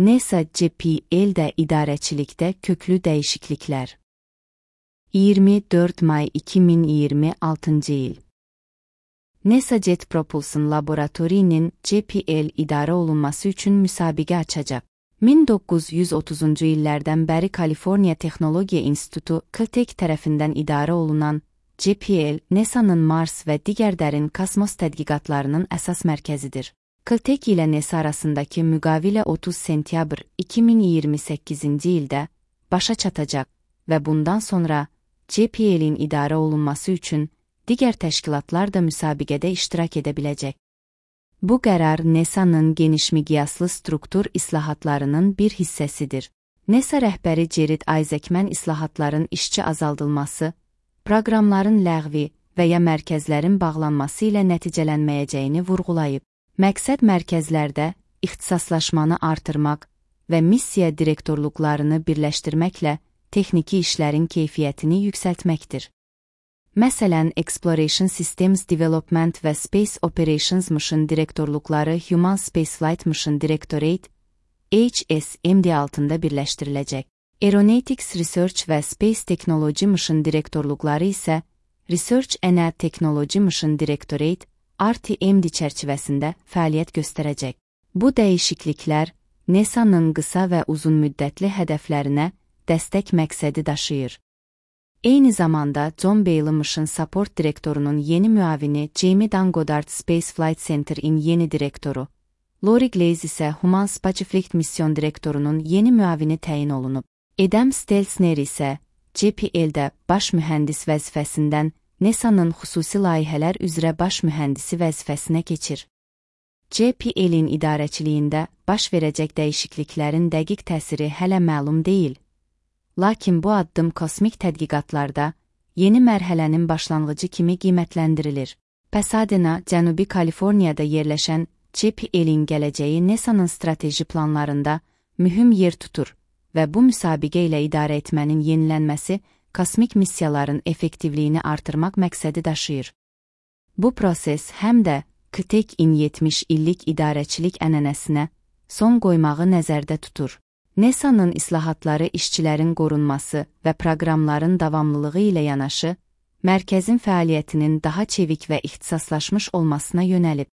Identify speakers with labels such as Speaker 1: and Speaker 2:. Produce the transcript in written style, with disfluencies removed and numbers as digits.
Speaker 1: NASA JPL-də idarəçilikdə köklü dəyişikliklər. 24 may 2026 il. NASA Jet Propulsion Laboratoriyinin JPL idarə olunması üçün müsabiqə açacaq. 1930-cu illərdən bəri Kaliforniya Texnologiya İnstitutu Caltech tərəfindən idarə olunan JPL, NASA'nın Mars və digər dərin kosmos tədqiqatlarının əsas mərkəzidir. Caltech ilə NASA arasındakı müqavilə 30 sentyabr 2028-ci ildə başa çatacaq və bundan sonra JPL-in idarə olunması üçün digər təşkilatlar da müsabiqədə iştirak edə biləcək. Bu qərar NASA'nın geniş miqyaslı struktur islahatlarının bir hissəsidir. NASA rəhbəri Jared Isaacman islahatların işçi azaldılması, proqramların ləğvi və ya mərkəzlərin bağlanması ilə nəticələnməyəcəyini vurğulayıb. Məqsəd mərkəzlərdə ixtisaslaşmanı artırmaq və missiya direktorluqlarını birləşdirməklə texniki işlərin keyfiyyətini yüksəltməkdir. Məsələn, Exploration Systems Development və Space Operations Mission direktorluqları Human Spaceflight Mission Directorate HSMD altında birləşdiriləcək. Aeronautics Research və Space Technology Mission direktorluqları isə Research and Technology Mission Directorate RTMD çərçivəsində fəaliyyət göstərəcək. Bu dəyişikliklər NASA'nın qısa və uzun müddətli hədəflərinə dəstək məqsədi daşıyır. Eyni zamanda John Bailey Mission Support direktorunun yeni müavini Jamie Dan Goddard Space Flight Center-in yeni direktoru, Lori Glaze isə Human Spaceflight Mission direktorunun yeni müavini təyin olunub. Adam Stelzner isə JPL-də baş mühəndis vəzifəsindən NASA'nın xüsusi layihələr üzrə baş mühəndisi vəzifəsinə keçir. JPL-in idarəçiliyində baş verəcək dəyişikliklərin dəqiq təsiri hələ məlum deyil. Lakin bu addım kosmik tədqiqatlarda yeni mərhələnin başlanğıcı kimi qiymətləndirilir. Pasadena, Cənubi Kaliforniyada yerləşən JPL-in gələcəyi NASA'nın strateji planlarında mühüm yer tutur və bu müsabiqə ilə idarə etmənin yenilənməsi kosmik missiyaların effektivliyini artırmaq məqsədi daşıyır. Bu proses həm də Caltech-in 70 illik idarəçilik ənənəsinə son qoymağı nəzərdə tutur. NASA'nın islahatları işçilərin qorunması və proqramların davamlılığı ilə yanaşı, mərkəzin fəaliyyətinin daha çevik və ixtisaslaşmış olmasına yönəlib.